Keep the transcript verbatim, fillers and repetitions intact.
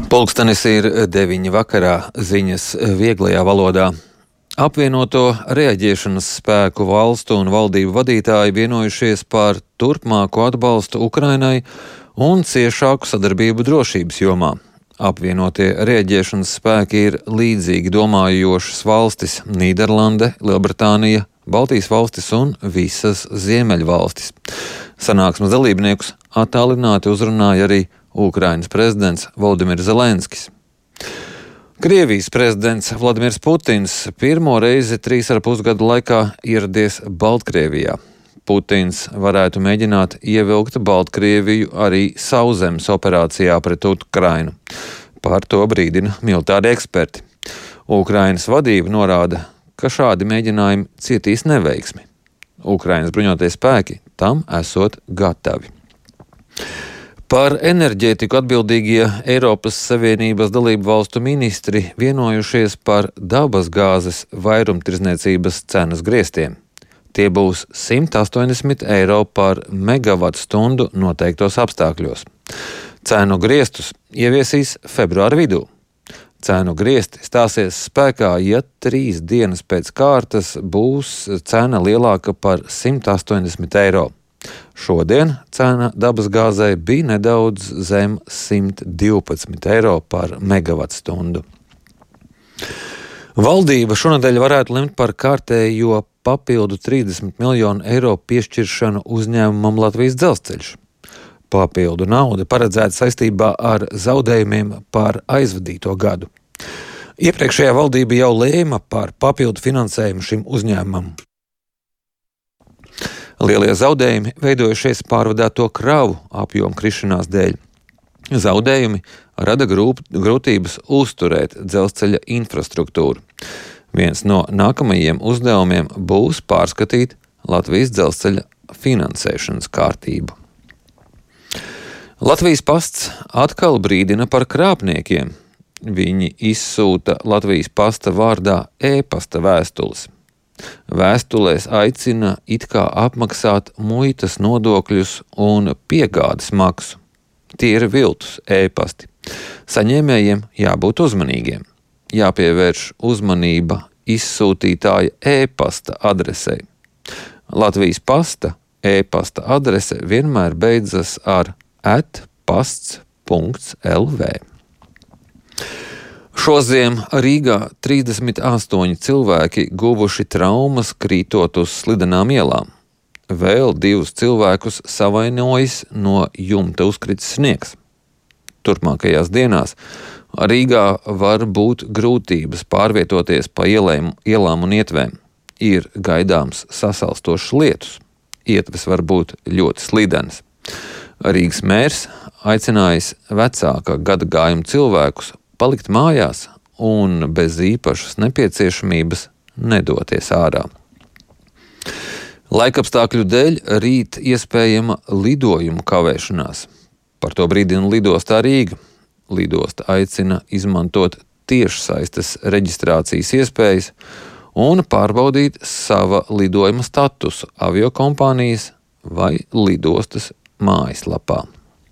Pulkstenis ir deviņi vakarā, ziņas vieglajā valodā. Apvienoto reaģēšanas spēku valstu un valdību vadītāji vienojušies par turpmāku atbalstu Ukrainai un ciešāku sadarbību drošības jomā. Apvienotie reaģēšanas spēki ir līdzīgi domājošas valstis - Nīderlande, Lielbritānija, Baltijas valstis un visas Ziemeļvalstis. Sanāksmes dalībniekus attālināti uzrunāja arī Ukrainas prezidents Volodimirs Zelenskis. Krievijas prezidents Vladimirs Putins pirmo reizi trīs ar pus gadu laikā ieradies Baltkrievijā. Putins varētu mēģināt ievilkt Baltkrieviju arī sauszemes operācijā pret Ukrainu. Par to brīdina militāri eksperti. Ukrainas vadība norāda, ka šādi mēģinājumi cietīs neveiksmi. Ukrainas bruņotie spēki tam esot gatavi. Par enerģētiku atbildīgie Eiropas Savienības dalību valstu ministri vienojušies par dabas gāzes vairumtirdzniecības cenas griestiem. Tie būs simt astoņdesmit eiro par megavatu stundu noteiktos apstākļos. Cenu griestus ieviesīs februāra vidū. Cenu griesti stāsies spēkā, ja trīs dienas pēc kārtas būs cena lielāka par simt astoņdesmit eiro. Šodien cena dabas gāzei bija nedaudz zem simt divpadsmit eiro par megavatu stundu. Valdība šonadēļ varētu lemt par kārtējo papildu trīsdesmit miljonu eiro piešķiršanu uzņēmumam Latvijas Dzelzceļš. Papildu nauda paredzēta saistībā ar zaudējumiem par aizvadīto gadu. Iepriekšējā valdība jau lēma par papildu finansējumu šim uzņēmumam. Lielie zaudējumi veidojušies pārvadāto kravu apjomu krišanās dēļ. Zaudējumi rada grūp, grūtības uzturēt dzelzceļa infrastruktūru. Viens no nākamajiem uzdevumiem būs pārskatīt Latvijas dzelzceļa finansēšanas kārtību. Latvijas pasts atkal brīdina par krāpniekiem. Viņi izsūta Latvijas pasta vārdā e-pasta vēstules. Vēstulēs aicina it kā apmaksāt muitas nodokļus un piegādes maksu. Tie ir viltus e-pasti. Saņēmējiem jābūt uzmanīgiem. Jāpievērš uzmanība izsūtītāja e-pasta adresei. Latvijas pasta e-pasta adrese vienmēr beidzas ar at pasts punkts el vē. Šoziem Rīgā trīsdesmit astoņi cilvēki guvuši traumas krītot uz slidenām ielām. Vēl divus cilvēkus savainojis no jumta uzkritis sniegs. Turpmākajās dienās Rīgā var būt grūtības pārvietoties pa ielēm, ielām un ietvēm. Ir gaidāms sasalstošs lietus. Ietves var būt ļoti slidenas. Rīgas mērs aicinājis vecāka gada gājuma cilvēkus palikt mājās un bez īpašas nepieciešamības nedoties ārā. Laikapstākļu dēļ rīt iespējama lidojumu kavēšanās. Par to brīdina lidostā Rīga. Lidosta aicina izmantot tiešsaistes reģistrācijas iespējas un pārbaudīt sava lidojuma statusu aviokompānijas vai lidostas mājaslapā.